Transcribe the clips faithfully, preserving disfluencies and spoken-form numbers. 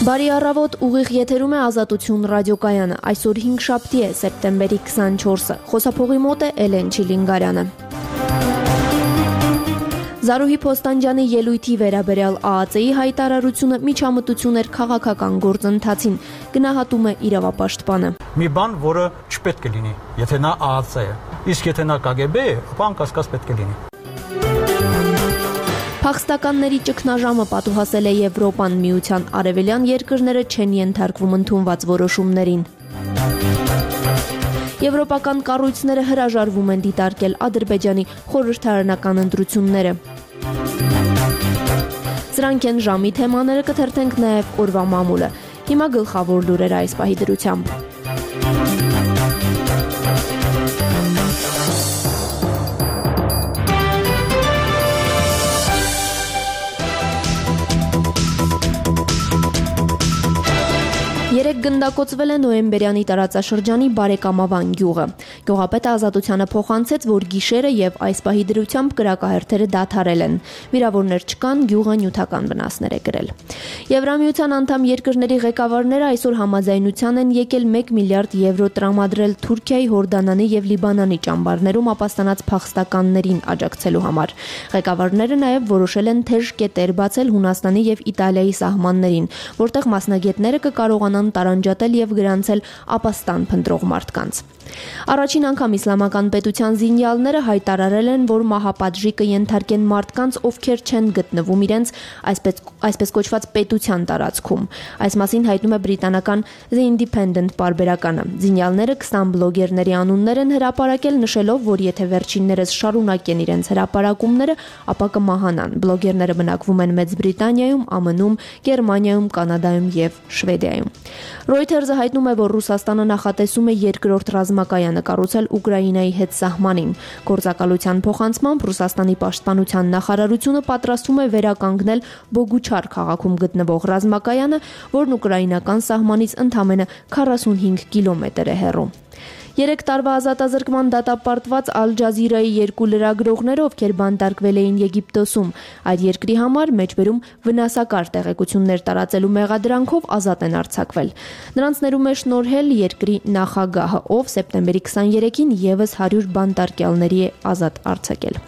Բարի առավոտ, ուղիղ եթերում է Ազատություն ռադիոկայանը, այսօր հինգշաբթի է, սեպտեմբերի քսանչորսը, խոսափողի մոտ է Էլեն Չիլինգարյանը։ Զարուհի Փոստանջյանի ելույթի վերաբերյալ Ա Ա Ց-ի հայտարարությունը միջամտություն էր քաղաքական գործընթացին, գնահատում է իրավապաշտպանը։ Մի բան, որը չպետք է լինի, եթե նա Ա Ա Ց է, իսկ եթե նա Կ Գ B է, ապա անկասկած պետք է լինի։ Փախստականների ճգնաժամը պատուհասել է Եվրոպան, Միության արևելյան երկրները չեն ենթարկվում ընդունված որոշումներին։ Եվրոպական կառույցները հրաժարվում են դիտարկել Ադրբեջանի խորհրդարանական ընտրությունները։ Սրանք են ժամի թեմաները, կթերթենք նաև օրվա մամուլը։ Հիմա գլխավոր լուրերը այս պահի դրությամբ։ Երեք գնդակոծվել է Նոյեմբերյանի տարածաշրջանի Բարեկամավան գյուղը։ Գյուղապետը Ազատությանը փոխանցեց, որ գիշերը եւ այս պահի դրությամբ կրակահերթերը դադարել են։ Վիրավորներ չկան, գյուղը նյութական վնասներ է կրել։ Եվրամիության անդամ երկրների ղեկավարները այսօր համաձայնության են եկել մեկ միլիարդ եվրո տրամադրել Թուրքիայի, Հորդանանի եւ Լիբանանի ճամբարներում ապաստանած փախստականներին աջակցելու համար։ Ղեկավարները նաեւ որոշել են թեժ կետեր բացել Հունաստանի եւ Իտալիայի սահմաններին, որտեղ մասնագետները կկարողանան տարանջատել եւ գրանցել ապաստան փնտրող մարդկանց։ Առաջին անգամ իսլամական պետության զինյալները հայտարարել են, որ մահապատժի կենթարկեն մարդկանց, ովքեր չեն գտնվում իրենց այսպես այսպես կոչված պետության տարածքում։ Այս մասին հայտնում է բրիտանական The Independent պարբերականը։ Զինյալները քսան բլոգերների անուններ են հրապարակել, նշելով, որ եթե վերջիններս շարունակեն իրենց հրապարակումները, ապա կմահանան։ Բլոգերները բնակվում են Մեծ Բրիտանիայում, Ամն Ում, Գերմանիայում, Կանադայում եւ Շվեդիայում։ Reuters-ը հայտնում է, որ Ռուսաստանը նախատեսում է երկրորդ ռազմակայանը կառուցել Ուկրաինայի հետ սահմանին։ Գործակալության փոխանցմամբ Ռուսաստանի պաշտպանության նախարարությունը պատրաստվում է վերականգնել Բոգուչար քաղաքում գտնվող ռազմակայանը, որն ուկրաինական սահմանից ընդամենը քառասունհինգ կիլոմետր է հեռու։ Երեք տարվա ազատազրկման դատապարտված Ալ Ջազիրայի երկու լրագրողները, ովքեր բանտարկվել էին Եգիպտոսում, այդ երկրի համար մեջբերում վնասակար տեղեկություններ տարածելու մեղադրանքով ազատ են արձակվել։ Նրանց ներում է շնորհել երկրի նախագահը, ով սեպտեմբերի քսաներեքին եւս հարյուր բանտարկյալների է ազատ արձակել։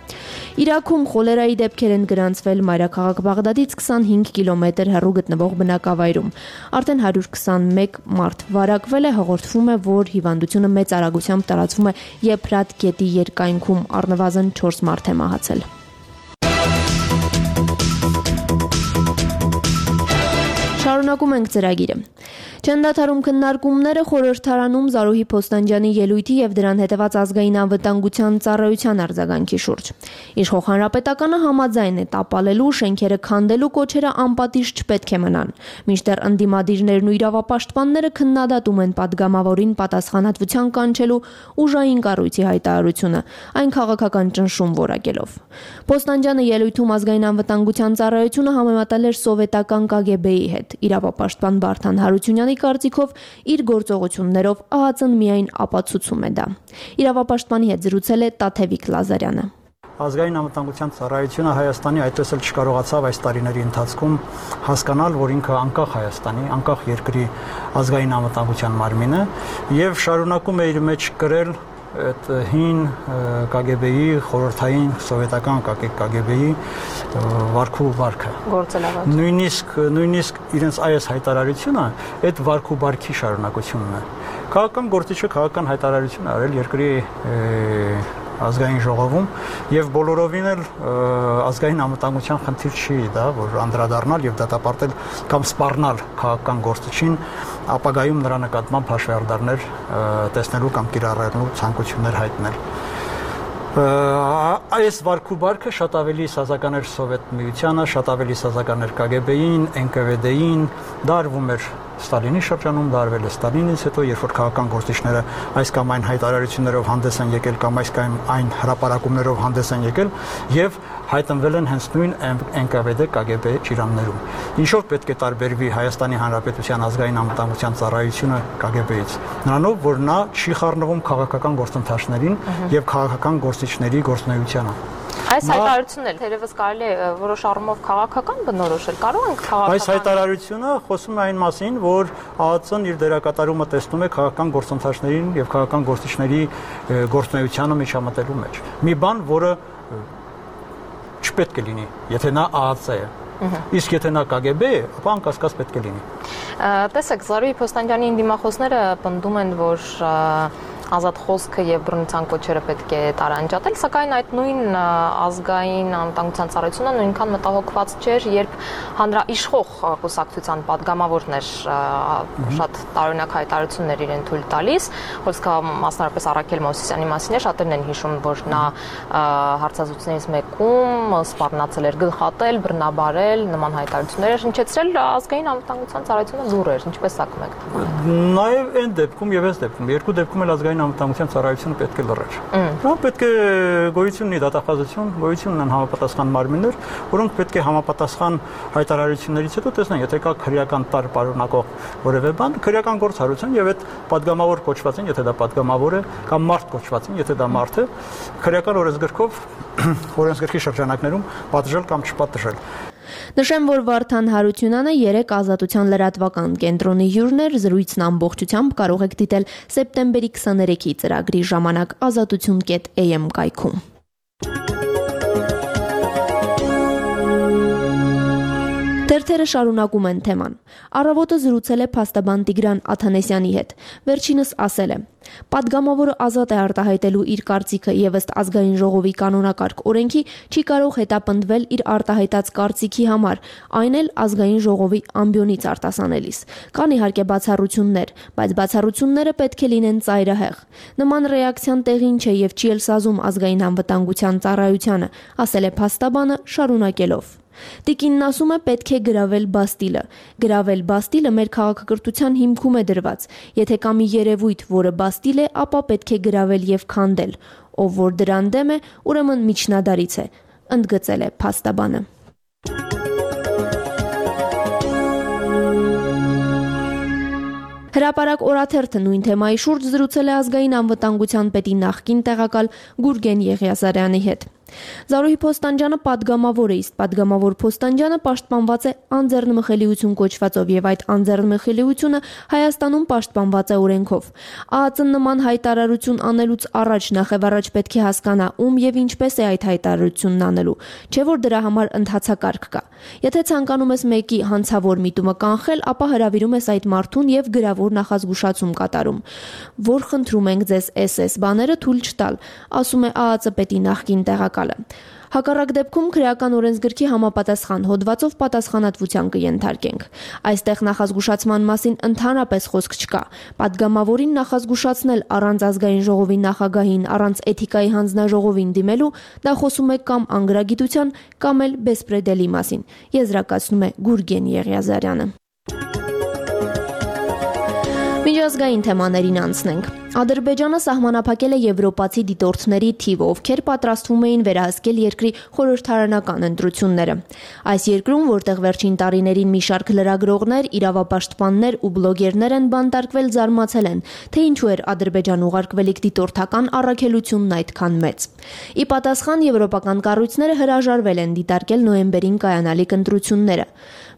Իրաքում խոլերայի դեպքեր են գրանցվել մայրաքաղաք Բաղդադից քսանհինգ կիլոմետր հեռու գտնվող բնակավայրում։ Արդեն հարյուր քսանմեկ մարդ վարակվել է, հաղորդվում է, որ հիվանդությունը մեծ արագությամբ տարածվում է Եփրատ գետի երկայնքում, առնվազն չորս մարդ է մահացել։ Շարունակում ենք ծրագիրը։ Չեն դադարում քննարկումները խորհրդարանում Զարուհի Փոստանջյանի ելույթի եւ դրան հետեւած ազգային անվտանգության ծառայության արձագանքի շուրջ։ Իշխող հանրապետականը համաձայն է տապալելու, շենքերը քանդելու կոչերը անպատիժ չպետք է մնան։ Մինչդեռ ընդդիմադիրներն ու իրավապաշտպանները քննադատում են падգամավորին պատասխանատվության կանչելու ուժային կառույցի հայտարարությունը, այն քաղաքական ճնշում որակելով։ Փոստանջյանը ելույթում ազգային անվտանգության ծառայությունը համեմատել էր սովետական Կ Գ B-ի հետ։ Իրավապաշտպան Վարդան Հարությունյանի կարծիքով իր գործողություններով Ա Ա Ց-ն միայն ապացուցում է դա։ Իրավապաշտպանի հետ զրուցել է Տաթևիկ Լազարյանը։ Ազգային անվտանգության ծառայությունը Հայաստանի այդպես էլ չկարողացավ այս տարիների ընթացքում հասկանալ, որ ինքը անկախ Հայաստանի, անկախ երկրի ազգային անվտանգության մարմին է եւ շարունակում է իր մեջ կրել այդ հին Կ Գ B-ի խորհրդային սովետական Կ Գ B-ի վարքու վարքը։ Նույնիսկ նույնիսկ իրենց այս հայտարարությունը այդ վարքու վարքի շարունակությունն է։ Քաղաքական գործիչը քաղաքական հայտարարություն արել երկրի ազգային ժողովում եւ բոլորովին էլ ազգային անվտանգության խնդիր չի դա, որ անդրադառնալ եւ դատապարտել կամ սպառնալ քաղաքական գործիչին, ապագայում նրա նկատմամբ հաշվեհարդարներ տեսնելու կամ կիրառելու ցանկություններ հայտնել։ Այս վարքու վարքը շատ ավելի սազական էր Սովետ միությանը, շատ ավելի սազական էր Կ Գ B-ին, N K V D-ին, դա արվում էր Ստալինի շրջանում, դա արվել է Ստալինից հետո, երբ որ քաղաքական գործիչները այս կամ այն հայտարարություններով հանդես են եկել կամ այս կամ այն հրապարակումներով հանդես են եկել եւ հայտնվել են հենց նույն N K V D Կ Գ B ճիրաններում։ Ինչով պետք է տարբերվի Հայաստանի Հանրապետության ազգային անվտանգության ծառայությունը Կ Գ B-ից։ Նրանով, որ նա չի խառնվում քաղաքական գործընթացներին եւ քաղաքական գործիչների գործունեությանը։ Այս հայտարարությունն էլ թերևս կարելի է որոշ առումով քաղաքական բնորոշել, կարող ենք քաղաքական։ Այս հայտարարությունը խոսում է այն մասին, որ ԱԱԾ-ն իր դերակատարումը տեսնում է քաղաքական գործընթացներին եւ քաղաքական գործիչների գործունեությանը միջամտելու մեջ։ Մի բան, որը չպետք է լինի, եթե նա ԱԱԾ է։ Իսկ եթե նա Կ Գ B է, ապա անկասկած պետք է լինի։ Տեսեք, Զարուհի Փոստանջյանի դիմախոսները պնդում են, որ ազատ խոսքը եւ բռնության կոչերը պետք է տարանջատել, սակայն այդ նույն ազգային անվտանգության ծառայությունը նույնքան մտահոգված չէր, երբ հանրաիշխող կուսակցության падգամավորն էր շատ տարօրինակ հայտարարություններ իրեն թույլ տալիս, խոսքը մասնավորապես Առաքել Մովսիսյանի մասին է, շատերն են հիշում, որ նա հարցազրույցներից մեկում սպառնացել էր գլխատել, բռնաբարել, նման հայտարարություններ էր հնչեցրել, ազգային անվտանգության ծառայությունը լուր էր, ինչպես ակում եք։ Նաեւ այն դեպքում եւ այս դեպքում, երկու դեպքում էլ ազգային անվտանգության ծառայությունը պետք է լռեր։ Դա պետք է գոյություն ունի դատախազություն, գոյություն ունեն համապատասխան մարմիններ, որոնք պետք է համապատասխան հայտարարություններից հետո տեսնեն, եթե կա քրեական տար պարունակող որևէ բան, քրեական գործառույթ եւ այդ падգամավոր կոչված են, եթե դա падգամավոր է, կամ մարդ կոչված են, եթե դա մարդ է, քրեական օրենսգրքով օրենսգրքի շրջանակներում պատժել կամ չպատժել։ Նշեմ, որ Վարդան Հարությունյանը երեք ազատության լրատվական կենտրոնի հյուրն էր, զրույցն ամբողջությամբ կարող եք դիտել սեպտեմբերի քսաներեքի ծրագրի ժամանակ ազատություն կետ A M կայքում։ Թերթերը շարունակում են թեման։ Առավոտը զրուցել է փաստաբան Տիգրան Աթանեսյանի հետ։ Վերջինս ասել է. Պատգամավորը ազատ է արտահայտելու իր կարծիքը եւ ըստ ազգային ժողովի կանոնակարգ օրենքի չի կարող հետապնդվել իր արտահայտած կարծիքի համար, այն էլ ազգային ժողովի ամբիոնից արտասանելիս։ Կան իհարկե բացառություններ, բայց բացառությունները պետք է լինեն ծայրահեղ։ Նման ռեակցիան տեղին չէ եւ չի էլ սազում ազգային անվտանգության ծառայությանը, ասել է փաստաբանը շարունակելով. Տիկինն ասում է պետք է գրավել Բաստիլը։ Գրավել Բաստիլը մեր քաղաքակրթության հիմքում է դրված։ Եթե կա մի երևույթ, որը Բաստիլ է, ապա պետք է գրավել եւ քանդել։ Ով որ դրան դեմ է, ուրեմն միջնադարից է, ընդգծել է փաստաբանը։ Հրապարակ օրաթերթը նույն թեմայի շուրջ զրուցել է ազգային անվտանգության պետի նախկին տեղակալ Գուրգեն Եղիազարյանի հետ։ Զարուհի Փոստանջյանը падգամավոր է, իսկ падգամավոր Փոստանջյանը պաշտպանված է անձեռնմխելիություն կոչվածով եւ այդ անձեռնմխելիությունը Հայաստանում պաշտպանված է օրենքով։ ԱԱԾ-ն նման հայտարարություն անելուց առաջ նախևառաջ պետք է հասկանա ում եւ ինչպես է այդ հայտարարությունն անելու, չէ որ դրա համար ընթացակարգ կա։ Եթե ցանկանում ես մեկի հանցավոր միտումը կանխել, ապա հրավիրում ես այդ մարդուն եւ գրավոր նախազգուշացում կատարում, որ խնդրում ենք ձեզ S S բաները թույլ չտալ, ասում է ԱԱԾ պետի նախկին տեղակալ։ Հակառակ դեպքում քրեական օրենսգրքի համապատասխան հոդվածով պատասխանատվության կենթարկենք։ Այստեղ նախազգուշացման մասին ընդհանրապես խոսք չկա։ Պատգամավորին նախազգուշացնել առանց ազգային ժողովի նախագահին, առանց էթիկայի հանձնաժողովին դիմելու, դա խոսում է կամ անգրագիտության, կամ էլ բեսպրեդելի մասին, եզրակացնում է Գուրգեն Եղիազարյանը։ Միջազգային թեմաներին անցնենք։ Ադրբեջանը սահմանափակել է եվրոպացի դիտորդների թիվը, ովքեր պատրաստվում էին վերահսկել երկրի խորհրդարանական ընտրությունները։ Այս երկրում, որտեղ վերջին տարիներին մի շարք լրագրողներ, իրավապաշտպաններ ու բլոգերներ են բանտարկվել, զարմացել են, թե ինչու էր Ադրբեջան ուղարկվելիք դիտորդական առաքելությունն այդքան մեծ։ Ի պատասխան եվրոպական կառույցները հրաժարվել են դիտարկել նոյեմբերին կայանալիք ընտրությունները։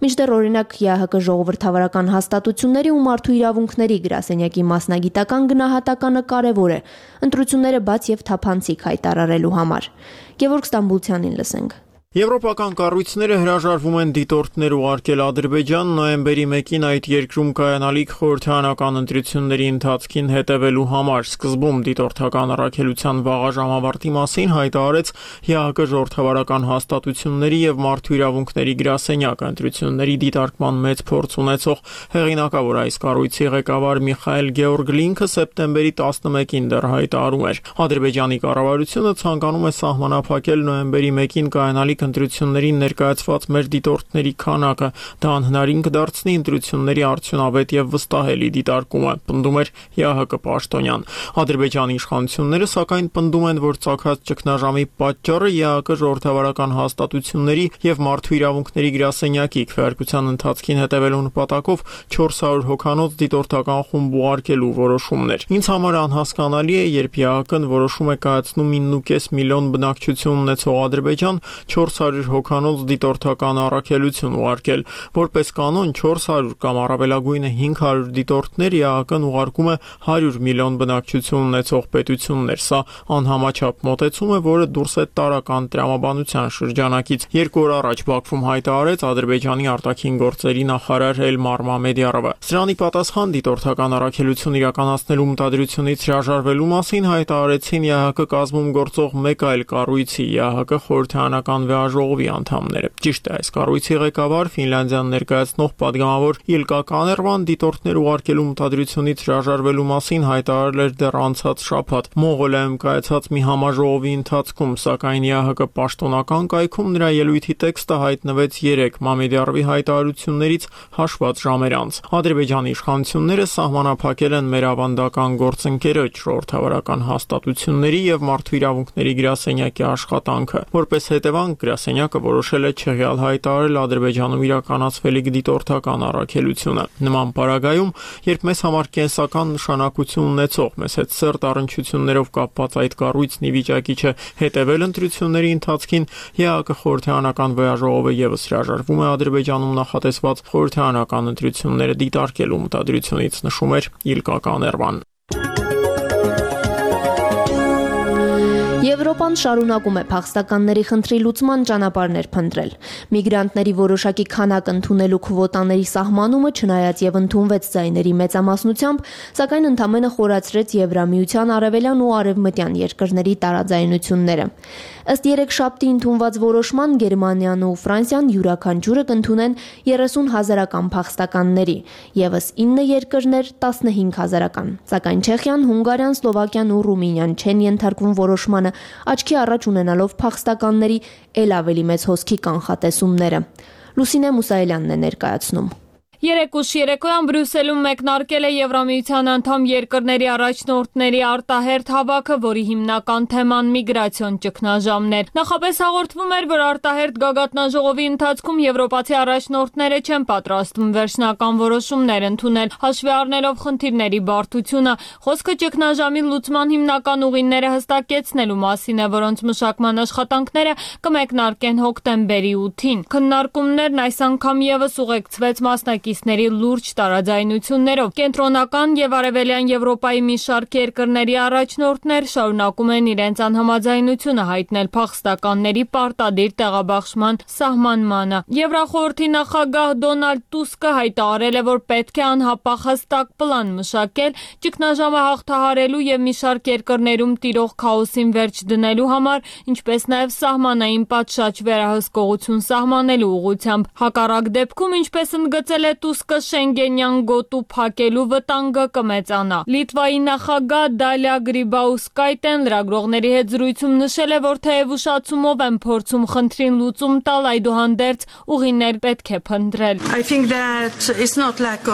Մինչդեռ օրինակ ԵԱՀԿ ժողովրդավարական հաստատությունների ու մարդու իրավունքների գրասենյակի մասնագիտական գնահատականը կարևոր է ընտրությունները բաց եւ թափանցիկ հայտարարելու համար։ Գևորգ Ստամբուլցյանին լսենք։ Եվրոպական կառույցները հրաժարվում են դիտորդներ ուղարկել Ադրբեջան նոյեմբերի մեկին այդ երկրում կայանալիք խորհրդարանական ընտրությունների ընթացքին հետևելու համար։ Սկզբում դիտորդական առաքելության վաղաժամավարտի մասին հայտարարեց ԵԱՀԿ ժողովրդավարական հաստատությունների եւ մարդու իրավունքների գրասենյակը։ Ընտրությունների դիտարկման մեծ փորձ ունեցող հեղինակավոր այս կառույցի ղեկավար Միխայել Գեորգլինքը սեպտեմբերի տասնմեկին դեռ հայտարարում էր. Ադրբեջանի կառավարությունը ցանկանում է սահմանափակել նոյեմբերի մեկին կայանալիք յուրահատիկ ընտրություններին ներկայացված մեր դիտորդների քանակը, դա անհնարին կդարձնի ընտրությունների արդյունավետ եւ վստահելի դիտարկումը, պնդում էր ԵԱՀԿ պաշտոնյան։ Ադրբեջանի իշխանությունները սակայն պնդում են, որ ցակած ճգնաժամի պատճառը ԵԱՀԿ ժողովրդավարական հաստատությունների եւ մարդու իրավունքների գրասենյակի քվեարկության ընթացքին հետևելու նպատակով չորս հարյուր հոգանոց դիտորդական խումբ ուղարկելու որոշումն էր։ Ինձ համար անհասկանալի է, երբ ԵԱՀԿ-ն որոշում է կայացնում ինը կես միլիոն բնակչություն ունեցող Ադրբեջան չորս հարյուր հոգանոց դիտորդական առաքելություն ուղարկել։ Որպես կանոն չորս հարյուր կամ առավելագույնը հինգ հարյուր դիտորդներ ԵԱՀԿ-ն ուղարկում է հարյուր միլիոն բնակչություն ունեցող պետություններ։ Սա անհամաչափ մոտեցում է, որը դուրս է տարական տրամաբանության շրջանակից։ Երկու օր առաջ Բաքվում հայտարարեց Ադրբեջանի արտաքին գործերի նախարար Էլմար Մամեդյարովը։ Սրանի պատասխան դիտորդական առաքելություն իրականացնելու մտադրությունից հրաժարվելու մասին հայտարարեցին ԵԱՀԿ կազմում գործող մեկ այլ կառույցի ԵԱՀԿ խորհրդարանական վեաժողովի անդամները։ Ճիշտ է, այս կառույցի ղեկավար Ֆինլանդիան ներկայացնող падգամավոր Իլկա Կաներվան դիտորդներ ուղարկելու մտադրությունից հրաժարվելու մասին հայտարարել էր դեռ անցած շաբաթ Մոնղոլիայում կայացած մի համաժողովի ընթացքում, սակայն ԵԱՀԿ պաշտոնական կայքում նրա ելույթի տեքստը հայտնվեց երեկ Մամեդյարովի հայտարարություններից հաշված ժամեր անց։ Ադրբեջանի իշխանությունները սահմանափակել են մեր ավանդական գործընկերոջ ժողովրդավարական հաստատությունների եւ մարդու իրավունքների գրասենյակի աշխատանքը։ Որպես հետևանք գրասենյակը որոշել է չեղյալ հայտարարել Ադրբեջանում իրականացվելիք դիտորդական առաքելությունը։ Նման պարագայում, երբ մեզ համար կենսական նշանակություն ունեցող, մեզ հետ սերտ առնչություններով կապված այդ կառույցն ի վիճակի չէ հետևել ընտրությունների ընթացքին, ԵԱՀԿ խորհրդարանական վեաժողովը եւս հրաժարվում է Ադրբեջանում նախատեսված խորհրդարանական ընտրությունները դիտարկելու մտադրությունից, նշում էր Իլկա Կաներվան։ Եվրոպան շարունակում է փախստականների խնդրի լուծման ճանապարհներ փնտրել։ Միգրանտների որոշակի քանակ ընդունելու քվոտաների սահմանումը, չնայած եւ ընդունվեց ձայների մեծամասնությամբ, սակայն ընդամենը խորացրեց Եվրամիության արևելյան ու արևմտյան երկրների տարաձայնությունները։ Ըստ երեքշաբթի ընդունված որոշման Գերմանիան ու Ֆրանսիան յուրաքանչյուրը կընդունեն երեսուն հազարական փախստականների, եւս ինը երկրներ տասնհինգ հազարական։ Սակայն Չեխիան, Հունգարիան, Սլովակիան ու Ռումինիան չեն ենթարկվում որոշմանը, աչքի առաջ ունենալով փախստականների ել ավելի մեծ հոսքի կանխատեսումները։ Լուսինե Մուսայելյանն է ներկայացնում։ Երեկ ուշ երեկոյան Բրյուսելում մեկնարկել է Եվրամիության անդամ երկրների առաջնորդների արտահերթ հավաքը, որի հիմնական թեման միգրացիոն ճգնաժամներ։ Նախապես հաղորդվում էր, որ արտահերթ գագաթնաժողովի ընթացքում եվրոպացի առաջնորդները չեն պատրաստվում վերջնական որոշումներ ընդունել, հաշվի առնելով խնդիրների բարդությունը։ Խոսքը ճգնաժամի լուծման հիմնական ուղիները հստակեցնելու մասին է, որոնց մշակման աշխատանքները կմեկնարկեն հոկտեմբերի ութին։ Քննարկումներն այս անգամ եւս ուղեկցվեց մասնակից ների լուրջ տարաձայնություններով։ Կենտրոնական եւ արևելյան Եվրոպայի մի շարք երկրների առաջնորդներ շարունակում են իրենց անհամաձայնությունը հայտնել փախստականների պարտադիր տեղաբաշխման սահմանմանը։ Եվրախորհրդի նախագահ Դոնալդ Տուսկը հայտարարել է, որ պետք է անհապաղ հստակ պլան մշակել ճգնաժամը հաղթահարելու եւ մի շարք երկրներում տիրող քաոսին վերջ դնելու համար, ինչպես նաեւ սահմանային պատշաճ վերահսկողություն սահմանելու ուղղությամբ։ Հակառակ դեպքում, ինչպես ընդգծել է Տուսկը, Շենգենյան գոտու փակելու վտանգը կմեծանա։ Լիտվայի նախագահ Դալիա Գրիբաուսկայտեն լրագրողների հետ զրույցում նշել է, որ թեև ուշացումով են փորձում խնդրին լուծում տալ, այդուհանդերձ ուղիներ պետք է փնտրել։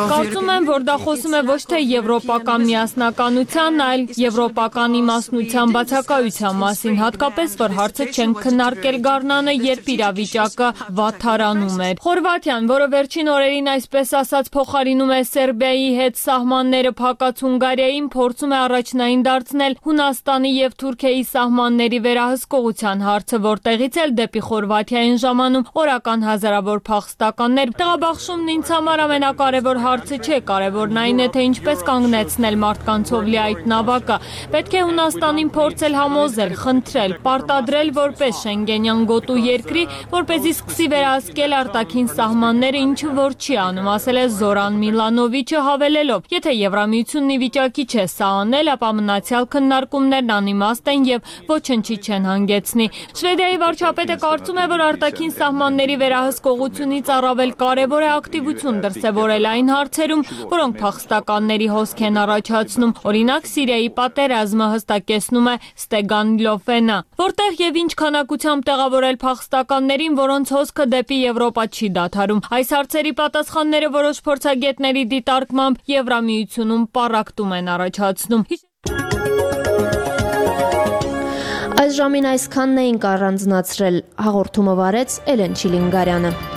Կարծում եմ, որ դա խոսում է ոչ թե եվրոպական միասնականության, այլ եվրոպական իմաստնության բացակայության մասին, հատկապես որ հարցը չեն քննարկել գարնանը, երբ իրավիճակը վատթարանում էր։ Խորվաթիան, որը վերջին օրերին այսպես ասած փոխարինում է Սերբիայի հետ սահմանները փակած Հունգարիային, փորձում է առաջնային դարձնել Հունաստանի եւ Թուրքիայի սահմանների վերահսկողության հարցը, որտեղից էլ դեպի Խորվաթիային ժամանում օրական հազարավոր փախստականներ։ Տեղաբաշխումն ինձ համար ամենակարևոր հարցը չէ, կարևորն այն է, թե ինչպես կանգնեցնել մարդկանցով լի այդ նավակը։ Պետք է Հունաստանին փորձել համոզել, խնդրել, պարտադրել որպես Շենգենյան գոտու երկրի, որպեսզի սկսի վերահսկել արտաքին սահմանները, ինչը որ չի անում։ եմ, ասել է Զորան Միլանովիչը, հավելելով. Եթե Եվրամիությունն ի վիճակի չէ սա անել, ապա մնացյալ քննարկումներն անիմաստ են եւ ոչնչի չեն հանգեցնի։ Շվեդիայի վարչապետը կարծում է, որ արտաքին սահմանների վերահսկողությունից առավել կարևոր է ակտիվություն դրսևորել այն հարցերում, որոնք փախստականների հոսք են առաջացնում։ Օրինակ Սիրիայի պատերազմը, հստակեցնում է Ստեգան Լոֆենը, որտեղ եւ ինչ քանակությամբ տեղավորել փախստականներին, որոնց հոսքը դեպի Եվրոպա չի դադարում։ Այս հարցերի պատասխանները որոշ փորձագետների դիտարկմամբ Եվրամիությունում պառակտում են առաջացնում։ Այս ժամին այսքանն էինք առանձնացրել, հաղորդումը վարեց Էլեն Չիլինգարյանը։